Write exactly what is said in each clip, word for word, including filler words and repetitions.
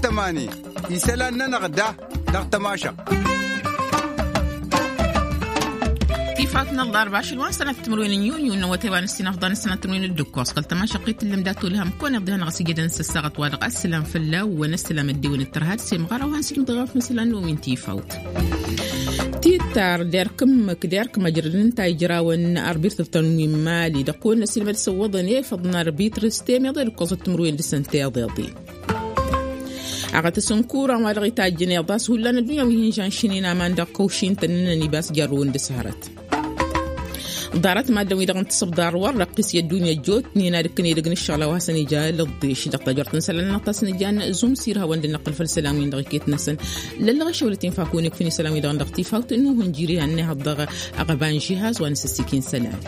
Tămani isălan-nănăɣ da dăɣ-tămašăɣt. Tifawt n-ălḍarba ašăl wa n-sănat timǝrwen n-yunyu n-awătay wa n-ăssinăfḍan n-sănat timǝrwen d-ǝkkoẓ kăl-tămašăɣt i-tǝllǝm dat-olhăm kăwăn-iḍǝhăn ăɣ s-ijădăn s-ăssaɣăt wa dăɣ-ad-sălam fălla-wen ăssalam ăddewăn d-tărha d-semɣăra wa n-sijmǝdăɣ afǝm isălan n-omin tifawt. Tittar derk ǝmmǝk derk măjrăd ǝnta ijrawăn arbitr tănwi n-mali dăɣ-kăwăn-năsilmăd s-ǝwwăḍăn efăḍ n-arbitr s-temeḍe d-ǝkkoẓăt timǝrwen dăɣ-săn teḍeḍen. Aɣătăs n-kuran wa dăɣ-itajjăn iḍas hullan ăddunya wi hin-žanšǝnen aman dăɣ-kăwšin-tăn ǝnnăn ibas jarrăwăn d-săhrăt. Ḍarăt maddǝn-wi-dăɣ n-tisǝbḍar wăr răqqis i-ăddunya ăjjootnen ad-ǝkkǝn edăgg n-ǝššăɣǝl a-wa hasăn-ija lăḍḍeš dăɣ-tajort n-isălan-nănăɣ ta s-nǝjan zumsir hawăn-dd-năqqǝl făll-isălan-win-dăɣ iket-năsăn. Lăllăɣ ašăwălăt infa kăwăn-ikfǝn isălan-wi-dăɣ dăɣ-tifawt n-uhǝnjir ihăn n-ehăḍ dăɣ-aɣăba n-žihaz wa n-asǝssikin isălan.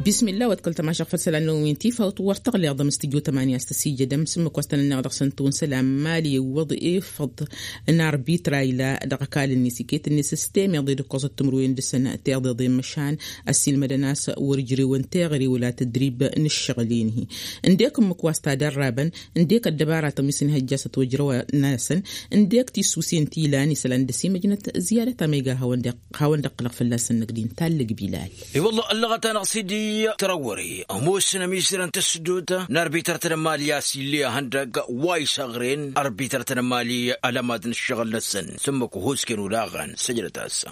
Bismillah wa d-kăl-tămašăɣ făll-isălan-năwăn wi n-tifawt wăr tăɣleḍăm s-tǝjjo tămani a-s tăsijădăm s-ǝmmǝk wa s-tăn-ănneɣ dăɣ-săn tawǝn isălan n-mali iwwăḍ efăḍ n-arbitra ila dăɣ-ăkall-net iket-net s-temeḍe d-ǝkkoẓăt timǝrwen dăɣ-săn teḍeḍen măšan ăssiilmădăn a-s wăr ǝjrewăn teɣăre wăla tădrib n-ǝššăɣǝl-en-hi. Ǝndek ǝmmǝk wa s-tadărrabăn ǝndek ăddăbaratăn wi s-inhăjja a-s ătwăjrăw-năsăn ǝndek tisusen ti ilan isălan dăsimăjnăt. Ziyadăt a ma iga hawăn-dd-iqqǝlăɣ fălla-săn năgg din tallăg bilal. I-wălla ăllăɣăt-anăɣ sidi tărăwwăre ămoosăn ămizărăn tăsdut n-arbităr-tăn n-mali a-s ill'-e ihăndăg wa isăɣren arbităr-tăn n-mali ălămad n-ǝššăɣǝl-năsăn s-ǝmmǝk uhusken olaɣăn săjdăt-as.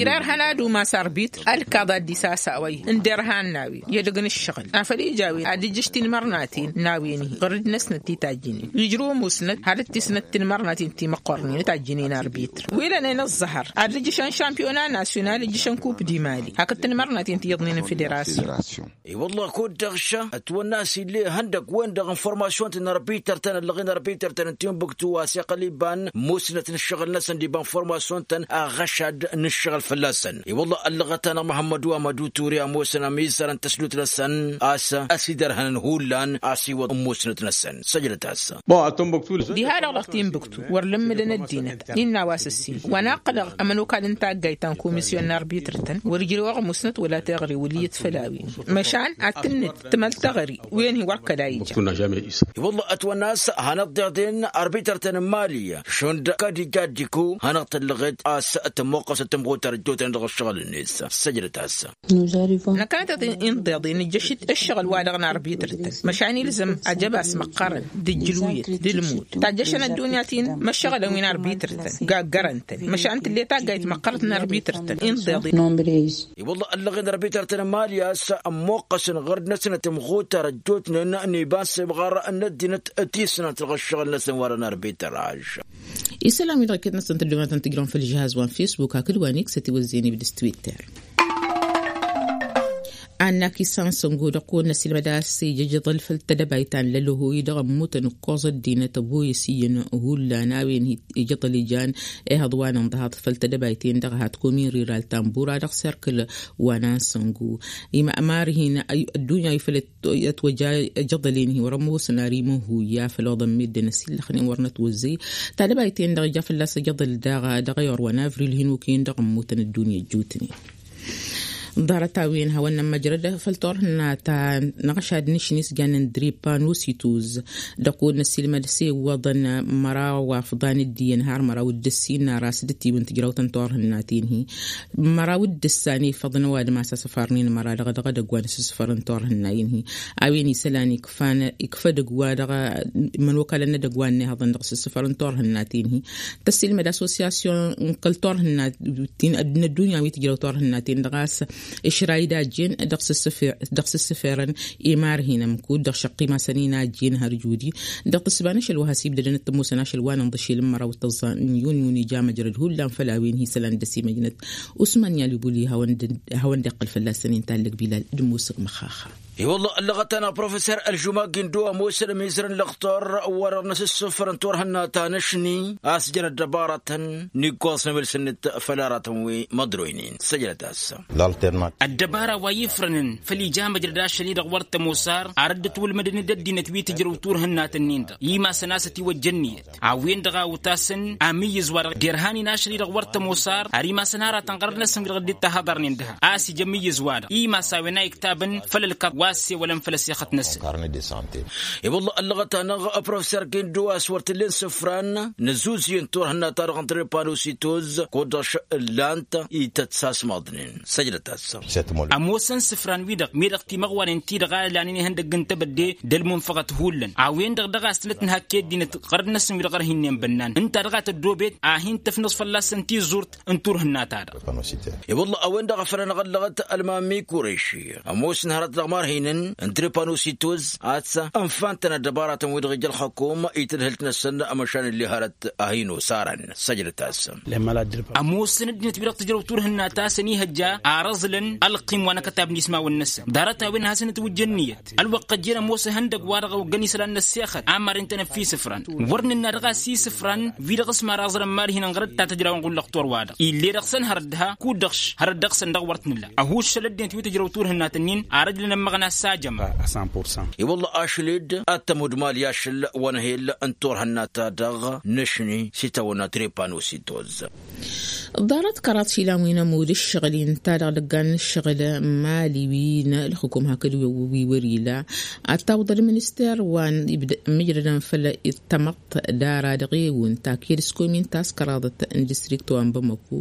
Irarhăn ad-umas arbitr ălkaḍ ad-dd-isasa a-wa ih' ǝnderhan n-a-wen i-edăgg n-ǝššăɣǝl afăl ija a-wen ad-ǝjjǝš tinmărnaten n-a-wen-hi ɣur-dd-năsnăt ti tajjǝnen ijrǝw ămoosnăt had-dd-tisnăt tinmărnaten ti măqqornen tajjǝnen arbitr wi lănen ăẓẓăhăr ad-dd-ǝjjǝšăn šampiyona nasyonal ǝjjǝšăn kup di mali hakd tinmărnaten ti iyyăḍnen n-federasyon. I-wălla kud-dăɣ ša ătwănna a-s ill'-e ihăndăg-wen-dăɣ informasyun-tăn n-arbităr-tăn ăllăɣen arbităr-tăn n-timbuktu a-s iqqăl iba n-musnăt n-ǝššăɣǝl-năsăn d-iba informasyun-tăn aɣăšad n-ǝššăɣǝl fălla-săn. I-wălla ăllăɣăt-anăɣ măhămmădu amădu ture ămoosăn ămizărăn tăsdut-năsăn a-s ăsidărhănăn hullan a-s iwăḍ n-musnăt-năsăn săjdăt-as. Diha-dăɣ dăɣ-timbuktu wăr lǝmmǝdăn ăddinăt innă a-wa s-ǝssin wa n-aqqǝlăɣ ămănokal n-taggayt ta n-komisyon n-arbităr-tăn wăr-ǝjrewăɣ musnăt wăla teɣăre wăl' iyyăt făll-a-wen. Măšan ad-tǝnnǝd tǝmăl teɣăre wen-hi wăr kăla ija. I-wălla ătwănna a-s hanăɣ-dd-iḍen arbităr-tăn n-mali šund kăd ija dd-iku hanăɣ-tăllăɣet a-s tămmoqqăsăt tămɣutar ăjjootnen dăɣ-ǝššăɣǝl-net săjdăt-as. Năkkănăt-t-in-dd-iḍen ǝjjăš-dd ǝššăɣǝl-wa-dăɣ n-arbităr-tăn măšan ilzăm ajăbas măqqărăn d-ǝjjǝlwǝyăt d-ǝlmud tajjăšăn ăddunya-t-in măššăɣǝlăn wi n-arbităr-tăn gaggarăn-tăn măšan tǝll'-e taggayt măqqărăt n-arbităr-tăn. I-wălla ăllăɣen arbităr-tăn n-mali a-s ămmoqqăsăn ɣur-dd-năsnăt tămɣutar ăjjootnen n-iba n-semɣar n-ăddinăt tisnant dăɣ-ǝššăɣǝl-năsăn wa dăɣ-n arbităraž. Isălan-wi-dăɣ iket-năsăn tăddoonatăn tǝjrăwăn făll-žihaz wa n-fesbuk hakd wa n-iksăt iwăzzeyăn ibdǝs twitter. Annak isan săngo dăɣ-kăwăn-năsilmăd a-s ija ijăḍăl făll-tedăbayt ta n-lălăhoy dăɣ-ămmutăn ǝkkoẓ ăddinăt ăboyăs iyyăn hullan a-wen ijăḍăl ijan ehăḍ wa n-ǝnḍăhaḍ făll-tedăbayt-en-dăɣ hat komin riral ta n-bura dăɣ-serkǝl wa n-ansăngo. Imămar hin-ăddunya ifăl ătwăja ijăḍăl-en-hi wăr-ămoosăn ar imăhuy i-afăl oḍăn meddǝn ăsillăxnen wăr nătwăzzăy. Tadăbayt-en-dăɣ ija fălla-s ijăḍăl daɣ dăɣ-ayăr wa n-avril hin-okăyăn dăɣ-ămmutăn ăddunya ăjjootnen. Ḍarăt-a-wen hawăn-nămmăjrăd făll-turhǝnna ta n-aɣšad n-ašni s-jannen dripan usituz dăɣ-kăwăn-năsilmăd s-e iwwăḍăn măraw afḍan d-iyyăn har măraw d-ǝssin n-aras d-tiwǝn tǝjrăwt n-turhǝnna-ten-hi. Măraw d-ǝssan ifăḍăn ăwadǝm a-s asăfarnen măra dăɣ-dăɣ edăgg wa n-asǝssǝfăr n-turhǝnna-in-hi a-wen isălan ikfan ikfădăg wa dăɣ-imănokalăn n-edăgg wa n-ehăḍăn dăɣ-asǝssǝfăr n-turhǝnna-ten-hi. Tăssilmăd assosyasyon n-kăl-turhǝnna-tin n-ăddunya wi tǝjrăw turhǝnna-ten-dăɣ a-s išra idajjen dăɣ-sǝssǝferăn imar hin-ămkud dăɣ-šăqqim a-s ăninajjen har judi dăɣ-tǝssǝba n-ašăl wa has-ibdădăn d-tămoosăn ašăl wa n-inḍăšel n-măraw d-tăẓẓa n-yun yun ija măjrăd hullan făll-a-wen hi-isălan dăr-s imăjnăt usman yalibuli hawăn-dd-iqqăl fălla-săn intallăg bilal d-musǝk măxaxa. I-wălla ăllăɣăt-anăɣ professer ălžuma gindo ămoosăn ămizăr n-lăxtor wăr-năsǝssǝfrăn turhǝnna ta n-ašni a-s jăn ăddăbarătăn n-iggoẓ n-emǝlsǝnnǝt făll-aratăn wi măḍroynen săjdăt-as. Ăddăbara wa ifrănăn făll-ija măjrăd ašăl-i-dăɣ wăr t-ămoos ar ad-dd-ătwălmădăn d-ăddinăt wi tǝjrăw turhǝnna-tăn-in-dăɣ imasăn a-s ătiwăjjăn niyăt a-wen-dăɣ a utasăn amǝyyǝz wa-dăɣ derhan-in ašăl-i-dăɣ wăr t-ămoos ar ar imasăn aratăn ɣărăd-năsăn dăɣ-dd-ittăhăḍărnen dăha a-s ija amǝyyǝz wa-dăɣ imas a-wen a iktabăn făll-ălkăḍ wa Ăssewălăn făll-ăssexăt-năsăn. I-wălla ăllăɣăt-anăɣ professor gindo a-s wăr t-ǝllen isǝfran n-ăzzuzyăn turhǝnna-ta-dăɣ n-trepanositoz kud-dăɣ ǝllan-t ităt s-asmăḍnen. Săjdăt-as. Ămoosăn isǝfran-wi-dăɣ mi-dăɣ timăɣwanen-ti-dăɣ a ǝlanen ihăndăgg n-tebădde d-ălmunfăɣăt hullan a-wen-dăɣ dăɣ-a-s tǝlăt n-hakke ăddinăt ɣărăd-năsăn wi-dăɣ ărhinnen bănnan ǝnta dăɣ-a tăddoobet a hin-tǝfnǝẓ fălla-săn tizurt n-turhǝnna-ta-dăɣ. I-wălla a-wen-dăɣ a făl anăɣ-ăllăɣăt ălmammi kureši ămoosăn hărăt dăɣ-marhinăn n-trepanositoz ad-s ănfantăn ăddăbaratăn-wi-dăɣ ija ălxăkum i-tadhǝlt-năsăn. Măšan ǝlli hărăt a hin-osarăn săjdăt-as. Ămoosăn ăddinăt wi-dăɣ tǝjrăw turhǝnna ta s-ănihăjja ar ăẓlăn ălqim wa n-akătab n-ismawăn-năsăn ḍarăt-a-wen hasăn-ătwǝjja ǝnniyăt ălwăqq ăjjeen ămoos ihăndăgg-wa-dăɣ a oggăn isălan n-ăssexăt a maren-tăn ăffis ǝfran wăr nǝnna dăɣ-a-s isǝfran wi-dăɣ s-maraẓrăn marhinăn ɣărăt ta tǝjrawăn ɣullăɣ torwa-dăɣ ille dăɣ-săn hărăt dăɣ-ha kud-dăɣ-š hărăt dăɣ-săn dăɣ-wăr t-nǝla ăhuššăl ăddinăt wi tǝjrăw turhǝnna tǝnnin ar ăjlăn ămmăɣna s-ajăma. I-wălla ašled ad-tămudmal i-ašăl wa n-ehel n-turhǝnna-ta-dăɣ năšni s-itawănna trepanositoz. Ḍarăt kăraḍ išilan wi n-ămudd ǝššăɣǝl-in ta dăɣ-dăggan n-ǝššăɣǝl mali wi n-ălxǝkum hakd wi wăr-ila ad-tawǝḍ ălminister wa n-imǝjrădăn făll-i d-tamăḍt dara dăɣ-ewǝn taked s-komin ta s-kăraḍăt n-distrikt wa n-bamăko.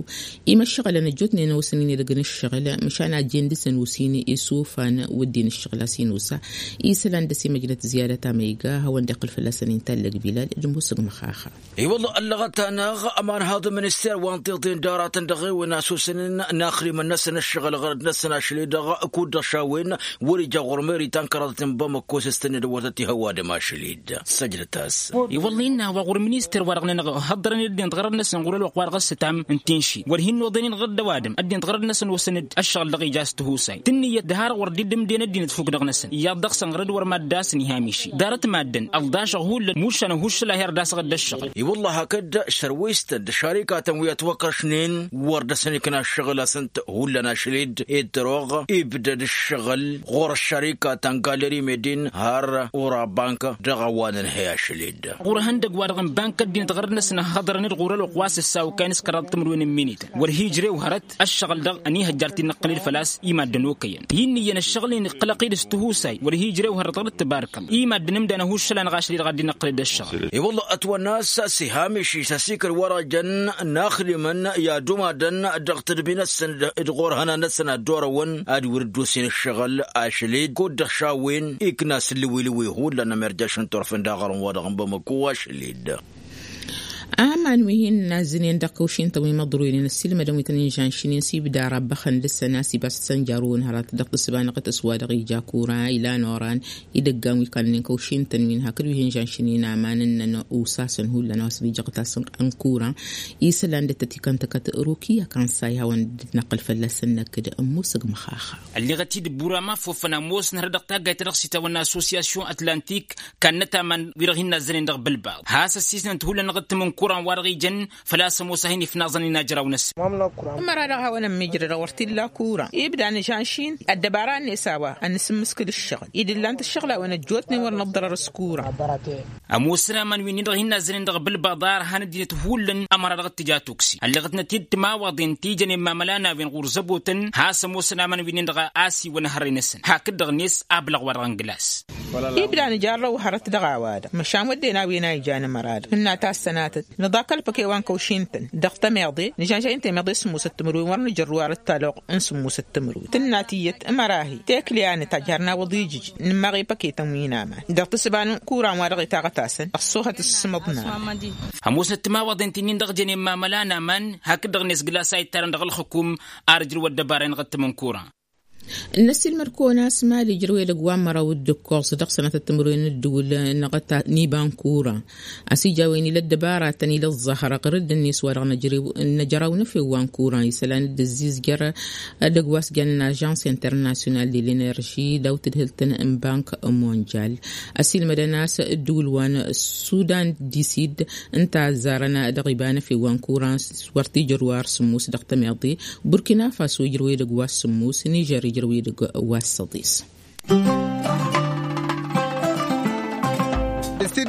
Imăššăɣǝlăn ăjjootnen a osăn-in edăgg n-ǝššăɣǝl măšan a jen dăɣ-săn osin isofan wădden ǝššăɣǝl a-s inosa isălan dăɣ-s imăjnăt ziyadat amăyga hawăn-dd-iqqǝl fălla-săn inta ăllăg bilal d-musǝg măxaxa. I-wălla ăllăɣăt-anăɣ ămanhaḍ n-minister wa n-tiḍen d-aratăn dăɣ-ewǝn a-s osănen n-axrimăn-năsăn ǝššăɣǝl ɣărăd-năsăn ašăl-i-dăɣ kud-dăɣ šawwen wăr-ija ɣur-meri ta n-kăraḍăt n-bamăko s-tăn-dd-wăr tăt-ihăwadăm ašăl-i-dd. Săjdăt-as. I-wălla innă a-wa ɣur-minister wa dăɣ-nănăɣ hăḍḍărăn ăddinăt ɣărăd-năsăn ɣur-ălwăqq wa dăɣ-s ǝtam n-tinši wăr hin-noḍănen ɣǝr-dd ăwadǝm ăddinăt ɣărăd-năsăn osăn-dd ăššăɣǝl dăɣ-ija s-tihusay tǝnnǝyăt d-har wăr dd-ǝmden ăddinăt fuk dăɣ-năsăn iyyăḍ dăɣ-săn ɣărăd wăr madd'-asăn ihamiši ḍarăt maddǝn ălḍašăɣ hullan mušan ăhuššăl a her-dd-asăɣ dd-ăššăɣǝl. I-wălla hakd šărwistăn d-ašarikatăn wi ătwăkrăšnen wăr dăr-săn ikna ăššăɣǝl a-s ǝnta hullan ašăl-i-dd ed tăroɣ ibdăd ǝššăɣǝl ɣur-ăššarikatăn galeri medin har ura bank dăɣ-a-wa nǝnhăy ašăl-i-dd. Ɣur-ehăndăgg-wa-dăɣ n-bank ăddinăt ɣărăd-năsăn ăhhăḍărăn-dd ɣur-ălwăqq wa s-ǝssawkayăn s-kăraḍ timǝrwen n-minităn wăr hi-ijrew hărăt ăššăɣǝl-dăɣ ănihăjjar ti n-iqqǝlǝl făl-a-s i-maddǝn okăyăn hi-ǝnniyăn ăššăɣǝl-in iqqălăɣ-t-dd s-tihusay wăr hi-ijrew hărăt ɣur-dd tǝbarkăl i-maddǝn ǝmdan ăhuššăl-anăɣ ašăl-i-dăɣ ad-dd-inǝqqǝl-dd ăššăɣǝl. I-wălla ătwănna a-s ăsihameš-i s-asikăl-wa-dăɣ jăn n-axdimăn i-ad-umadăn dăɣ-tadbi-năsăn d-ɣur-hănan-năsăn ad-dd-orăwăn ad-wăr dd-osen ǝššăɣǝl ašăl-i-dd kud-dăɣ šawwen ikna s-ǝllǝwǝlǝwe hullan ămerjaš n-turfen d-aɣrǝm-wa-dăɣ n-bamăko ašăl-i-dd. Aman wi hin-nazzǝnen dăɣ-kăwšin-tăn wi măḍroynen ăssiilmădăn wi tăn-inžanšnen s-ibda rabbăxăn dăɣ-săn a-s ibas tănjarăwăn hărăt dăɣ-tǝssǝba n-aɣǝtǝs wa dăɣ-ija kura ilan oran idăggan wi kallnen kăwšin-tăn wi n-hakd wi hin-žanšnen aman ǝnnăn usasăn hullan a-wa s-dd-ija aɣǝtas n-kura isălan dd-tătikăn tăkăt rukiya kan s-a ihawăn dd-năqqǝl fălla-săn năkk d-ămmusǝg măxaxa. Ălleɣăt-dd bura mafofăn ămoosăn hărăt dăɣ-taggayt ta dăɣ-s itawănna associasyon atlantik kannăt aman wi-dăɣ hin-nazzănen dăɣ-bǝlbaḍ has-ăssiisnăt hullan dăɣ-ǝttǝm n-kuran wa dăɣ-ijăn făl-a-s ămoos a hin-ifnaẓăn inajraw-năsăn. Ămăra-dăɣ a hawăn-ămmiijrăd wăr t-illa kura ibda nǝžanšin ăddăbara-net a-wa ănn-asǝmmǝskǝl ǝššăɣǝl-i d-ǝllan-t ǝššăɣǝl a-wen ăjjootnen wăr năḍḍărăr s-kura. Ămoosăn aman wi-nin-dăɣ hin-nazzănen dăɣ-bǝlbaḍ a ărhan ăddinăt hullan ămăra dăɣ-t-tǝja tuksi ălleɣăt-năt-dd timawaḍen ti jănen mamălan a-wen ɣur-zăbotăn has-ămoosăn aman wi-nin-dăɣ a ăsiwăn hărre-năsăn hakd-dăɣ-net ablăɣ wa dăɣ-n glas. Ibda nǝjarrăw hărăt dăɣ-a-wa-dăɣ măšan wădden a-wen a ijan ămăra-dăɣ tǝnna tassănatăt nǝḍakăl păke wa n-kăwšin-tăn dăɣ-tămeḍe nǝžănžăy n-temeḍe s-sǝmmusăt timǝrwen wăr nǝjărrǝw arăt talăɣ n-sǝmmusăt timǝrwen tǝnna tiyyăt ămăra-hi tekle anăt ajhar n-awăḍ ijǝj nǝmmaɣ i-păketăn wi n-aman dăɣ-tǝssǝba n-kuran wa dăɣ-itaɣăt-asăn ăṣṣoohăt s-sǝmăḍ n-aman. Ămoosnăt timawaḍen ti-nin-dăɣ jănen mamăla n-aman hakd-dăɣ-net glas a ittarăn dăɣ-ălxǝkum ar ǝjrǝw ăddăbara-i n-iɣǝttǝm n-kuran. N-ăssiilmăd-kăwăn a-s mali ǝjrăw edăgg wa n-măraw d-ǝkkoẓ dăɣ-sănatăt timǝrwen n-ǝddǝwǝl n-iba n-kuran a-s ija a-wen ila ăddăbaratăn ila ăẓẓaxrăɣ rǝdd-net wa dăɣ-năjrăw n-efew wa n-kuran isălan dd-ăzzizjăr edăgg wa s-jannen ažans internasyonal de l-enerži daw tǝdhǝlt n-bank monjal. Ăsiilmădăn a-s ǝddǝwǝl wa n-sudan disid ǝnta ăzzarăn dăɣ-iba n-efew wa n-kuran s-wăr t-ijrǝw ar sǝmmus dăɣ-tămeḍe burkina faso ijrăw edăgg wa s-sǝmmus nižer ijrăw edăgg wa s-săḍis.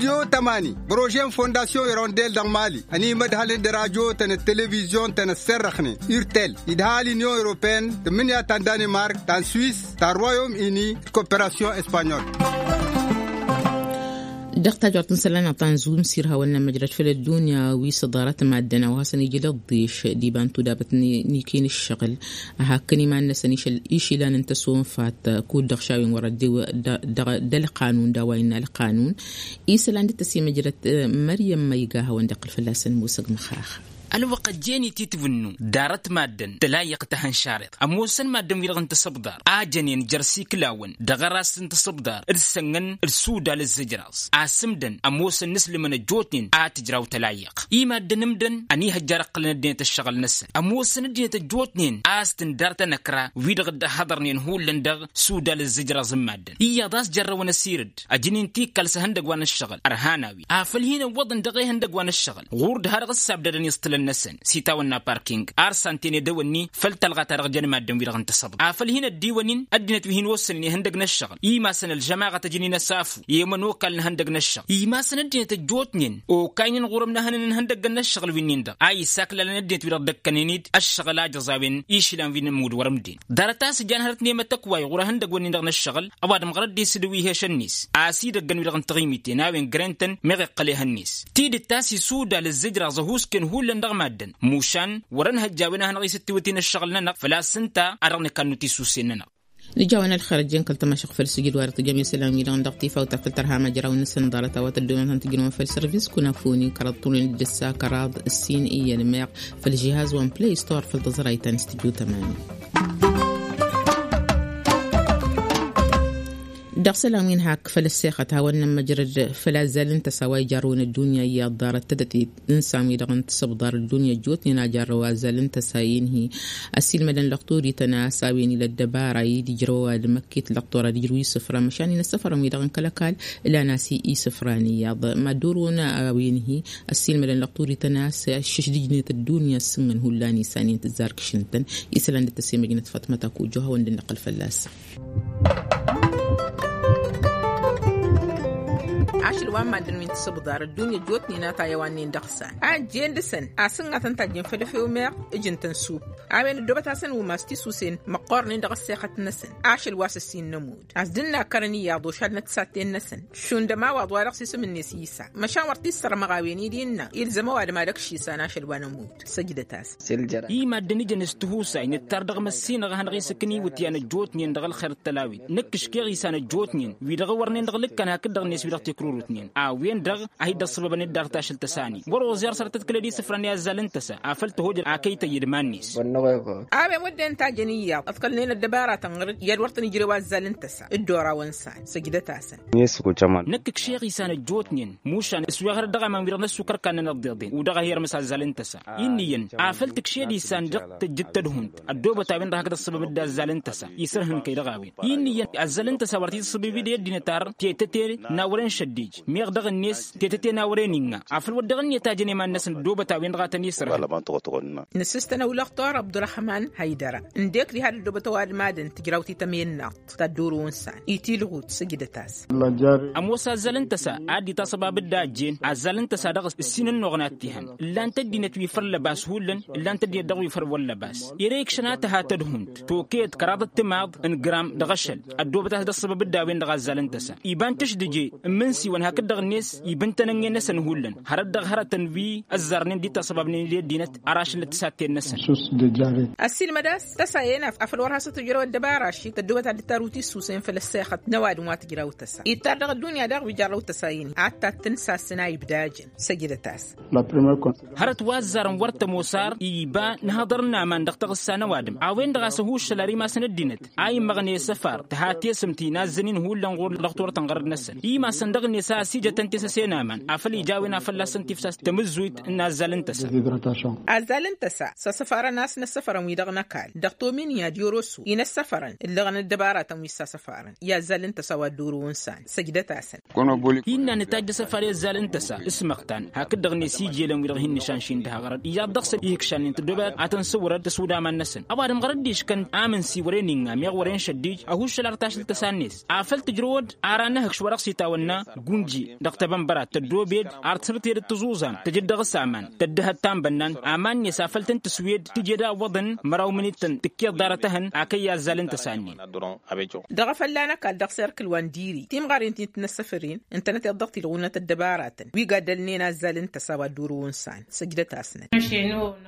Jiyo tămani bărožen fondasyon irondel dăɣ-mali ănimădhălăn d-rajo-tăn d-televizyon-tăn ăsserrăxnen urtel idha l-inyon europeen d-mǝnǝya ta n-danemark ta n-swis ta n-royom ini d-koperasyon espanyol. Dăɣ-tajort n-isălan aṭṭan zumsir hawăn-nămmăjrăd făll-ăddunya wi s-ḍarăt maddăn a-wa hasăn-ijǝl ăḍḍeš d-iba n-tudabăt n-ikin ǝššăɣǝl a hakkăn iman-năsăn išăl išilan n-tăsonfat kud-dăɣ šawen wăr-ăddew d-ălqanun d-a-wa innă ălqanun. Isălan d-tăsimăjrăt măryăm ma iga hawăn-dd-iqqǝl fălla-săn musăg măxax. Ălwăqq ăjjeen-i titbǝnnu darăt maddăn tălayyăɣ tahănšareḍ ămoosăn maddăn-wi-dăɣ n-tasăbḍar a jănen jer-siklawăn dăɣ-aras n-tasăbḍar d-sănnăn d-sudal ǝzzǝjraẓ. Asǝmdăn ămoosăn n-aslǝmăn ăjjootnen a tǝjraw tălayyăɣ i-maddăn ǝmdăn ănihăjjar ǝqqǝlăn ăddinăt ǝššăɣǝl-năsăn ămoosăn ăddinăt ăjjootnen a-s tǝndar tanăkra wi-dăɣ dd-ăhhăḍărnen hullan dăɣ-sudal ǝzzǝjraẓ n-maddăn iyyăḍ a-s jărrăwăn asirǝd ăjǝn-in tikkal s-ehăndăg wa n-ǝššăɣǝl ărhan a-wen afăl hin-ǝwwăḍăn dăɣ-ehăndăg wa n-ǝššăɣǝl ɣur-dd ha dăɣ-ǝssabdădăn i-iẓtǝlăn-năsăn s-itawănna parking arsantene dăwănni făll-talɣa ta dăɣ-jăn maddăn-wi-dăɣ n-tasăḍt afăl hin-ăddiwăn-in ăddinăt wi hin-ossănen ihăndăg n-ǝššăɣǝl imasăn ălžămaɣăt ăjǝn-in ăsafu i-emănokal n-ihăndăg n-ǝššăɣǝl imasăn ăddinăt ăjjootnen okaynen ɣur-ǝmnăhănăn n-ihăndăggăn n-ǝššăɣǝl wi-nin-dăɣ a isaklălăn ăddinăt-wi-dăɣ dd-ăkkănen-dd ăššăɣǝl a jăẓ a-wen išilan wi n-ămmud wăr-ǝmden. Ḍarăt a-s ǝjan hărăt n-emătăkk wa iɣur-ehăndăg-wǝnnin-dăɣ n-ǝššăɣǝl ăwadǝm ɣărăt d-isǝdǝw ihešăn-net a-s idăggăn-wi-dăɣ n-taɣimiten a-wen grăn-tăn meɣ iqqăl ehăn-net tidǝt a-s isudal ǝzzǝjraẓ ăhuusken hullan dăɣ-maddăn mušan wăr-ănhăjj a-wen a hanăɣ-isǝttiwǝt-in ǝššăɣǝl-nănăɣ făl-a-s ǝnta a dăɣ-nǝkannu tisusen-nănăɣ. Nǝja-wen ălxer ăjjeen kăl-tămašăɣ făll-sǝjǝd wa dăɣ-tǝjăm isălan-wi-dăɣ n-dăɣ-tifawt a făl tărha măjraw-năsăn ḍarăt a-wa tăddoonătăn tǝjrǝwăn făll-sărvis kunafuni kăraḍ tunǝn d-ǝssa kăraḍ ǝssin iyyăn meɣ făll-žihaz wa n-play store făll-tăẓrayt ta n-studyo tămani. Dăɣ-isălan wi n-hak făll-ăssexăt hawăn-nămmăjrăd făll-azzal n-tăsa wa ijarrăwăn ăddunya i-ad-ḍarăt tadăt-i n-san-wi-dăɣ n-tasăbḍar ăddunya ăjjootnen a jarrăw azzal n-tăsa inhi ăssiilmădăn lăqturi-tăn a-s a-wen ila ăddăbara i-dd-ijrăw ăwadǝm ăkket lăqtor ad-ijrǝw isǝfran măšan inăssăfărăn-wi-dăɣ n-kăl-ăkall ǝlan a-s isǝfran iyyăḍ mad-orăwăn a-wen-hi ăssiilmădăn lăqturi-tăn a-s šǝšdǝjnet ăddunya s-ǝnnăn hullan isanen tǝzzar kǝšǝn-tăn. Isălan dd-tăsemăjnăt fatmăt akujjo hawăn-dd-nǝqqǝl fălla-săn. Ašăl wa n-maddǝn wi n-tasǝbḍar ăddunya ăjjootnen a tayăwannen dăɣ-san a ǝjjen dăɣ-săn a sǝnnatăn tajjen făll-efew meɣ ǝjǝn-tăn sup a-wen ăddoobăt-asăn umas tisusen măqqoornen dăɣ-ăssexăt-năsăn. Ašăl wa s-ǝssin n-ămudd a-s dd-ǝnnakkărăn iyyăḍ ošal n-ăttisatten-năsăn šund ămawaḍ wa dăɣ-s isǝm-net isa măšan wăr t-issărmăɣ a-wen-dd innă ilzăm ăwadǝm ad-ăkš isan ašăl wa n-ămudd. Săjdăt-as. I-maddǝn ijăn s-tihusay nǝttar dăɣ-măssinăɣ a hanăɣ-isǝkǝn iwǝtyan ăjjootnen dăɣ-ălxer d-tălawit nǝkkǝškeɣ isan ăjjootnen wi-dăɣ wărnen dăɣ-lǝkkan hakd-dăɣ-net wi-dăɣ tikrurutnen a-wen-dăɣ a hi-dd-ăṣṣăbăbăn dd-ar tašǝlt tăsani wăr-oẓ i-ar săr tăt-kǝlăd isǝfran i-azzal n-tăsa afăl tăhojăd akăy tăyyǝd iman-net. A-wen wădden tajăn iyyăḍ ăḍkălnen ăddăbaratăn ɣăr-dd i-ad-wăr tăn-ijrew azzal n-tăsa dd-orawăn san săjdăt-asăn. Năkk ǝkšeɣ isan ăjjootnen mušan s-weɣ hărăt dăɣ-aman wi-dăɣ n-ăssukărkan n-inăḍḍeḍen u-dăɣ a hi-irmǝs azzal n-tăsa. Inniyăn afăl tǝkšed isan dăɣ-tǝjjǝt tădhunt ăddoobăt a-wen-dăɣ hakd ăṣṣăbăm dd-azzal n-tăsa isărhǝnkăy dăɣ-a-wen. Inniyăn azzal n-tăsa wăr t-iṣṣǝbǝb d-ăddinăt ar tetăte n-a wăren šăddij meɣ dăɣ-net tetăte n-a wăren innă afăl wăr dăɣ-net a jăn iman-năsăn ăddoobăt a-wen-dăɣ a tăn-isărhǝn. Nǝsǝstăn ăwlăɣ tor abdurăhman haydăra ǝndek diha d-ăddoobăt ăwadǝm ad-ǝntǝjraw titămennăɣt ta dd-orăwăn san itilɣut săjdăt-as. Ămoos azzal n-tăsa ad-dd-itaṣăbab d-a ăjjeen azzal n-tăsa dăɣ-s ǝssin ănnuɣăn ad-t-ihăn ǝllan-t ăddinăt wi făll-lăbas hullan ǝllan-t ăddinăt dăɣ-wi făll-wăllăbas. Ere ikšăn a tăha tădhunt tokăyăt kăraḍăt timaḍ n-gram dăɣ-ašăl ăddoobăt a-s dd-ăṣṣăbab d-a-wen-dăɣ azzal n-tăsa iba n-tǝšdǝje n-imǝnsiwăn hakd dăɣ-net iba n-tenănge-năsăn hullan hărăt dăɣ-hărătăn wi ăzzarnen d-itaṣăbabnen i-ăddinăt ar ašăl n-ăttǝsatten-năsăn. Ăssiilmăd a-s tăsa-en afăl wăr has-tăt-ojrăw ăddăbara ašik tăddoobăt ad-dd-tarǝw tisusen făll-ăssexăt n-ăwadǝm wa tǝjraw tăsa ittar dăɣ-ăddunya daɣ wi jarrăw tăsa-in ad-tattǝnsasăn a ibdajăn. Săjdăt-as. Hărăt wa ăzzarăn wăr tămoos ar iba n-hăḍăr n-aman dăɣ-taɣǝssa n-ăwadǝm a-wen-dăɣ a-s ăhuššăl ar imasăn ăddinăt a immăɣne asăfar tǝha tesǝmt inazzăn-in hullan ɣur-dăɣ turăt n-ɣărăd-năsăn imasăn dăɣ-net a ăsijătăn tesăse n-aman afăl ija a-wen a fălla-săn tifsas tamǝzzuyt n-azzal n-tăsa. Azzal n-tăsa s-asăfarăn a-s n-ăssăfărăn wi-dăɣ n-ăkall dăɣ-tominya d-iorosu-i n-ăssăfărăn ǝllăɣăn ăddăbaratăn wi s-asăfarăn i-azzal n-tăsa wa dd-orăwăn san săjdăt-asăn. Hinna nǝtajj asăfar i-azzal n-tăsa s-măɣtan hakd-dăɣ-net ijelen wi-dăɣ hin-nǝšanšin d-haɣărăd iyyăḍ dăɣ-săn ihǝkšannen tăddoobăt ad-tăn-sǝwrăd tăsudaman-năsăn ăwadǝm ɣărăt d-iškăn amǝnsi wăren inga meɣ wăren šăddij ăhuššăl ar tašǝlt tăsa-net afăl tǝjrăwăd ar anăhǝkš wa dăɣ-s itawănna. Dăɣ-tebănbărat tăddoobed ar tǝsrǝted d-tăẓuẓam tăjǝd dăɣ-s aman tăddăhăt ta n-bănnan aman-net afăl tăn-tǝswed tǝjed a ǝwwăḍăn măraw minit-tăn tǝkkeḍ ḍarăt-ehăn akăyy azzal n-tăsa-nin. Dăɣ-efălla n-ăkall dăɣ-serkǝl wa n-diri timɣarin ti n-tinăssăfăren ǝntănăteḍ dăɣ-tilɣunăt ăddăbaratăn wi gaddălnen azzal n-tăsa wa dd-orăwăn san săjdăt-asnăt.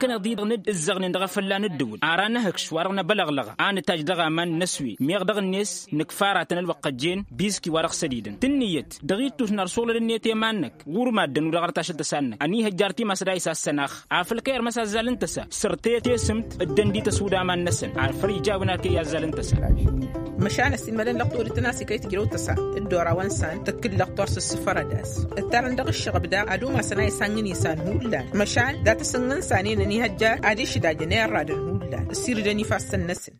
Kăneḍ-i-dăɣ n-dd-ǝzzăɣnen dăɣ-efălla n-ǝddǝwǝl ara nǝhǝkš wa-dăɣ năbălăɣlăɣ a nǝtajj dăɣ-aman n-aswed meɣ dăɣ-net nǝkfar-atăn ălwăqq ăjjeen biski wa dăɣ-sădidăn tǝnniyăt dăɣ-ittus n-ar suɣlăd-net i-iman-năk ɣur-maddǝn-wi-dăɣ arăt ašăl tăsa-năk ănihăjjar timasăd a isassăn-aɣ afăl kăy-irmăs aẓẓal n-tăsa săr-tetesǝmt dd-ăndităs wud aman-năsăn ar făl ija a-wen ar kăy-azzal n-tăsa. Măšan ăssiilmădăn lăqtor d-tănasi kăy-tǝjrăw tăsa dd-oraw ănsan tăkkǝllăɣ torsa ǝssǝfărăd-as ǝttarăn dăɣ-ǝššăɣăb daɣ ad-umasăn a isannăn isan hullan măšan dat-asǝnnăn sanen ănihăjjar ad-išdajăn i-ărradăn hullan ǝssiirdăn ifassăn-năsăn.